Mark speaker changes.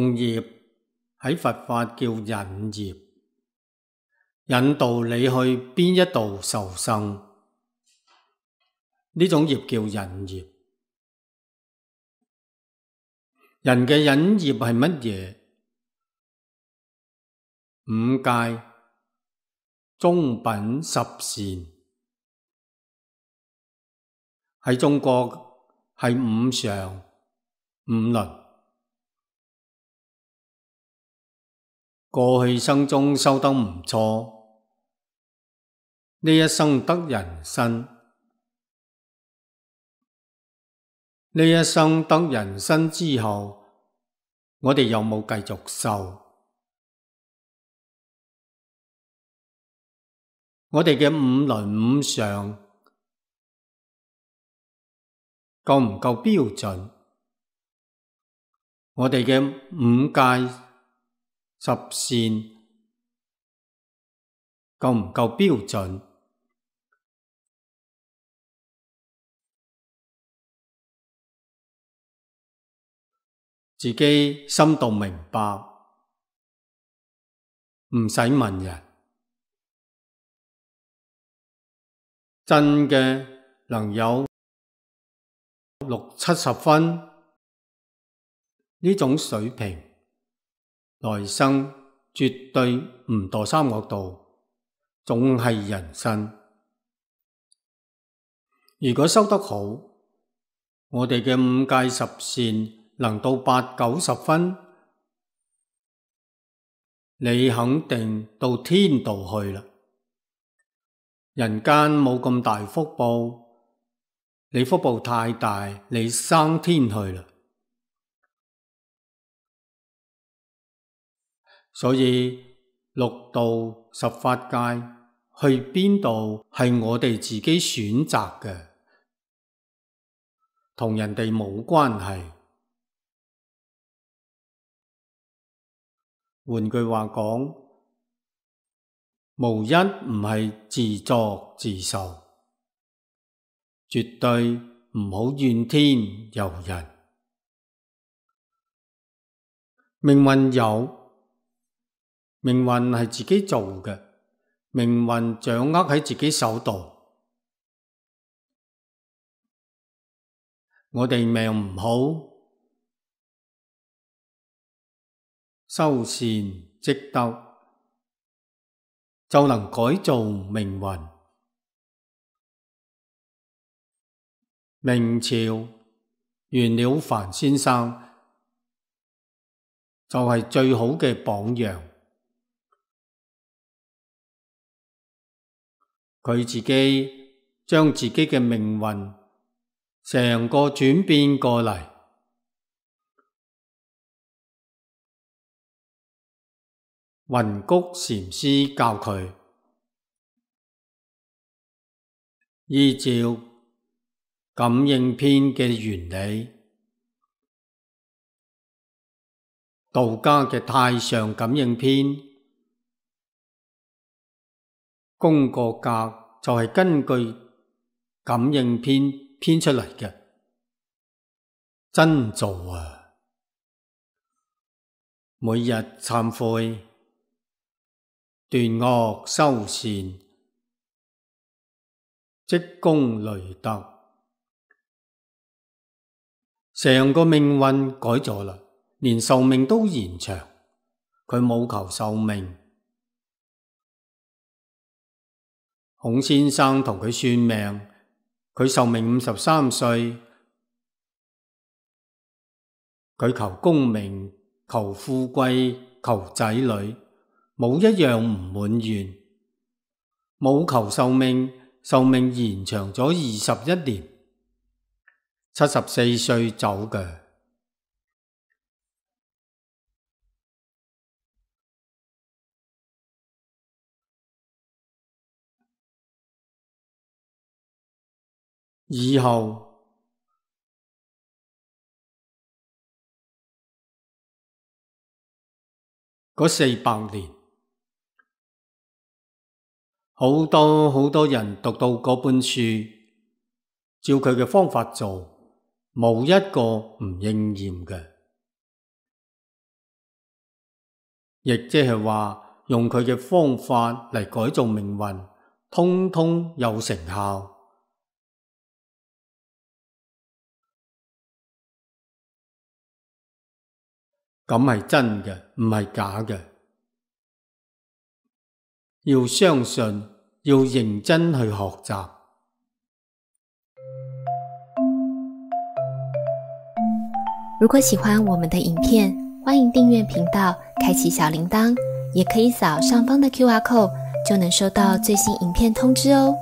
Speaker 1: 共業喺佛法叫引業，引導你去邊一度受生，呢種業叫引業。人嘅引業係乜嘢？五戒、中品、十善，喺中國係五常、五倫。過去生中修得唔錯，呢一生得人身，呢一生得人身之後，我哋有冇繼續修？我哋嘅五倫五常夠唔夠標準？我哋嘅五戒十善夠唔夠標準？自己心度明白，唔使問人。真嘅能有60-70分呢種水平，來生絕對唔墮三惡道，總係人身。如果修得好，我哋嘅五戒十善能到80-90分，你肯定到天道去啦。人間冇咁大福報，你福報太大，你生天去啦。所以六道十法界去邊度係我哋自己選擇嘅，同人哋冇關係。換句話講，無一唔係自作自受，絕對唔好怨天尤人。命運有，命運係自己做嘅，命運掌握喺自己手度。我哋命唔好，修善積德，就能改造命運。明朝袁了凡先生就係最好嘅榜樣。佢自己將自己嘅命運成個轉變過嚟。雲谷禪師教佢依照感應篇嘅原理，道家嘅太上感應篇，功過格就係根據感應篇編出嚟嘅，真做啊！每日懺悔，斷惡修善，積功累德，成個命運改咗啦，連壽命都延長。佢冇求壽命。孔先生同佢算命，佢壽命53歲，佢求功名、求富貴、求仔女，冇一樣唔滿願。冇求壽命，壽命延長咗21年，74歲走嘅。以後嗰400年，好多人讀到嗰本書，照佢嘅方法做，冇一個唔應驗嘅。亦即係話用佢嘅方法嚟改造命運，通通有成效。咁係真嘅，唔係假嘅。要相信，要認真去學習。
Speaker 2: 如果喜歡我們的影片，歡迎訂閱頻道，開啟小鈴鐺，也可以掃上方的QR code，就能收到最新影片通知哦。